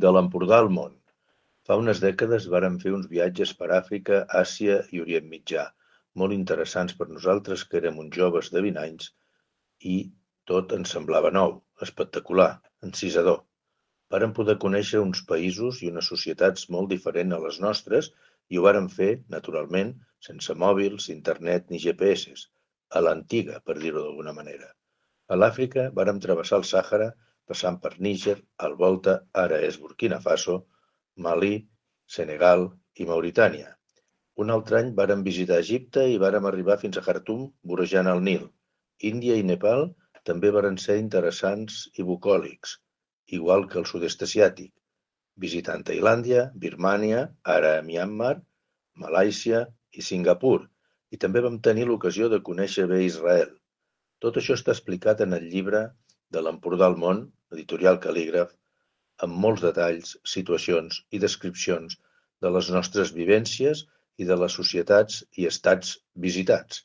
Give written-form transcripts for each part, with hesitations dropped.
De l'Empordà al món. Fa unes dècades vàrem fer uns viatges per Àfrica, Àsia i Orient Mitjà, molt interessants per nosaltres que érem uns joves de 20 anys i tot ens semblava nou, espectacular, encisador. Vàrem poder conèixer uns països i unes societats molt diferents a les nostres i ho vàrem fer, naturalment, sense mòbils, internet ni GPS, a l'antiga, per dir-ho d'alguna manera. A l'Àfrica vàrem travessar el Sàhara passant per Níger, el Volta, ara és Burkina Faso, Malí, Senegal i Mauritània. Un altre any vàrem visitar Egipte i vàrem arribar fins a Khartum vorejant el Nil. Índia i Nepal també varen ser interessants i bucòlics, igual que el sud-est asiàtic, visitant Tailàndia, Birmània, ara Myanmar, Malàisia i Singapur, i també vam tenir l'ocasió de conèixer bé Israel. Tot això està explicat en el llibre de l'Empordà al món, editorial Cal·lígraf, amb molts detalls, situacions i descripcions de les nostres vivències i de les societats i estats visitats.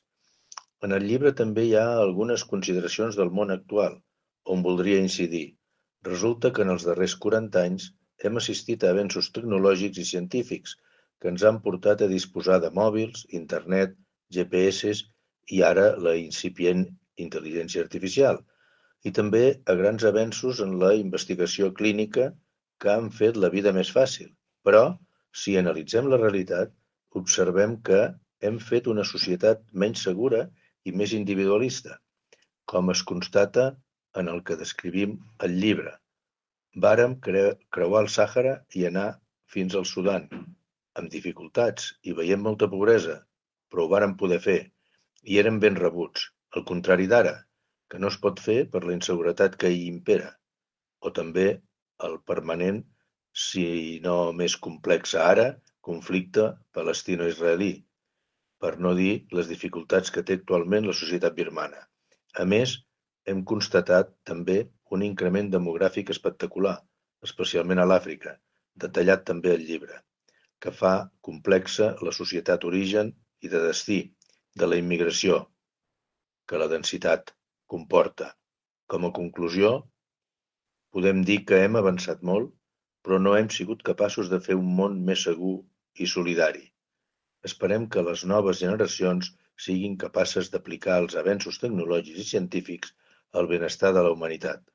En el llibre també hi ha algunes consideracions del món actual, on voldria incidir. Resulta que en els darrers 40 anys hem assistit a avenços tecnològics i científics que ens han portat a disposar de mòbils, internet, GPS i ara la incipient intel·ligència artificial, i també a grans avenços en la investigació clínica que han fet la vida més fàcil. Però, si analitzem la realitat, observem que hem fet una societat menys segura i més individualista, com es constata en el que descrivim al llibre. Vàrem creuar el Sàhara i anar fins al Sudan, amb dificultats i veient molta pobresa, però ho vàrem poder fer, i érem ben rebuts, al contrari d'ara, que no es pot fer per la inseguretat que hi impera, o també el permanent, si no més complex ara, conflicte palestino-israelí, per no dir les dificultats que té actualment la societat birmana. A més, hem constatat també un increment demogràfic espectacular, especialment a l'Àfrica, detallat també al llibre, que fa complexa la societat origen i de destí de la immigració que la densitat comporta. Com a conclusió, podem dir que hem avançat molt, però no hem sigut capaços de fer un món més segur i solidari. Esperem que les noves generacions siguin capaces d'aplicar els avenços tecnològics i científics al benestar de la humanitat.